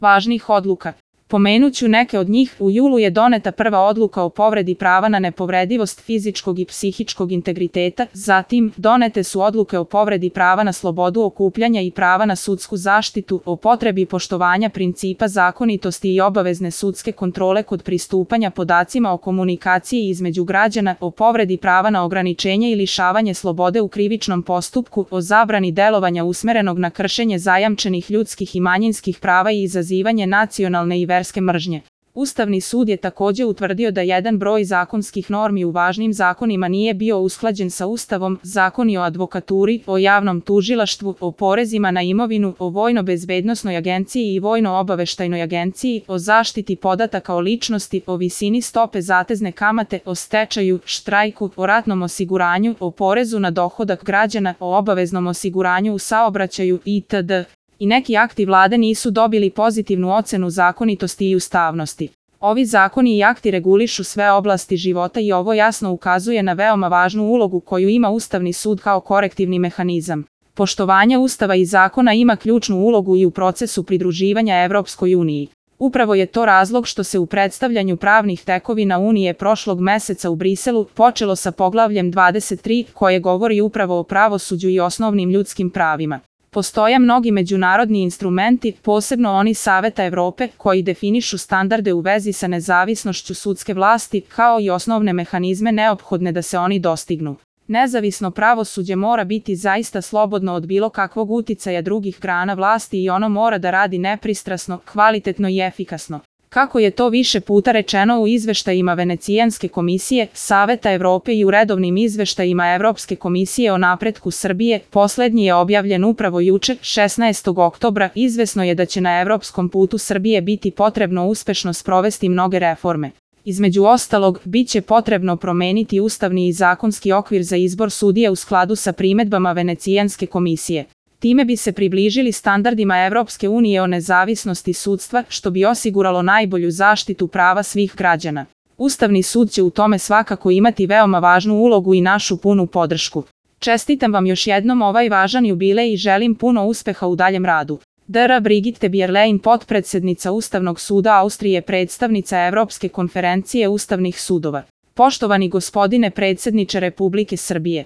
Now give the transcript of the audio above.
važnih odluka. Pomenuću neke od njih. U julu je doneta prva odluka o povredi prava na nepovredivost fizičkog i psihičkog integriteta, zatim donete su odluke o povredi prava na slobodu okupljanja i prava na sudsku zaštitu, o potrebi poštovanja principa zakonitosti i obavezne sudske kontrole kod pristupanja podacima o komunikaciji između građana, o povredi prava na ograničenje i lišavanje slobode u krivičnom postupku, o zabrani delovanja usmerenog na kršenje zajamčenih ljudskih i manjinskih prava i izazivanje nacionalne i verske mržnje. Ustavni sud je takođe utvrdio da jedan broj zakonskih normi u važnim zakonima nije bio usklađen sa Ustavom, zakoni o advokaturi, o javnom tužilaštvu, o porezima na imovinu, o vojno-bezbednosnoj agenciji i vojno-obaveštajnoj agenciji, o zaštiti podataka o ličnosti, o visini stope zatezne kamate, o stečaju, štrajku, o ratnom osiguranju, o porezu na dohodak građana, o obaveznom osiguranju u saobraćaju itd. I neki akti vlade nisu dobili pozitivnu ocenu zakonitosti i ustavnosti. Ovi zakoni i akti regulišu sve oblasti života i ovo jasno ukazuje na veoma važnu ulogu koju ima Ustavni sud kao korektivni mehanizam. Poštovanje Ustava i zakona ima ključnu ulogu i u procesu pridruživanja Evropskoj uniji. Upravo je to razlog što se u predstavljanju pravnih tekovina Unije prošlog meseca u Briselu počelo sa poglavljem 23 koje govori upravo o pravosuđu i osnovnim ljudskim pravima. Postoje mnogi međunarodni instrumenti, posebno oni Saveta Evrope, koji definišu standarde u vezi sa nezavisnošću sudske vlasti, kao i osnovne mehanizme neophodne da se oni dostignu. Nezavisno pravosuđe mora biti zaista slobodno od bilo kakvog uticaja drugih grana vlasti i ono mora da radi nepristrasno, kvalitetno i efikasno. Kako je to više puta rečeno u izveštajima Venecijanske komisije, Saveta Evrope i u redovnim izveštajima Evropske komisije o napretku Srbije, poslednji je objavljen upravo juče, 16. oktobra, izvesno je da će na evropskom putu Srbije biti potrebno uspešno sprovesti mnoge reforme. Između ostalog, bit će potrebno promeniti ustavni i zakonski okvir za izbor sudija u skladu sa primedbama Venecijanske komisije. Time bi se približili standardima Evropske unije o nezavisnosti sudstva, što bi osiguralo najbolju zaštitu prava svih građana. Ustavni sud će u tome svakako imati veoma važnu ulogu i našu punu podršku. Čestitam vam još jednom ovaj važan jubilej i želim puno uspeha u daljem radu. Dr. Brigitte Bierlein, potpredsednica Ustavnog suda Austrije, predstavnica Evropske konferencije ustavnih sudova. Poštovani gospodine predsedniče Republike Srbije.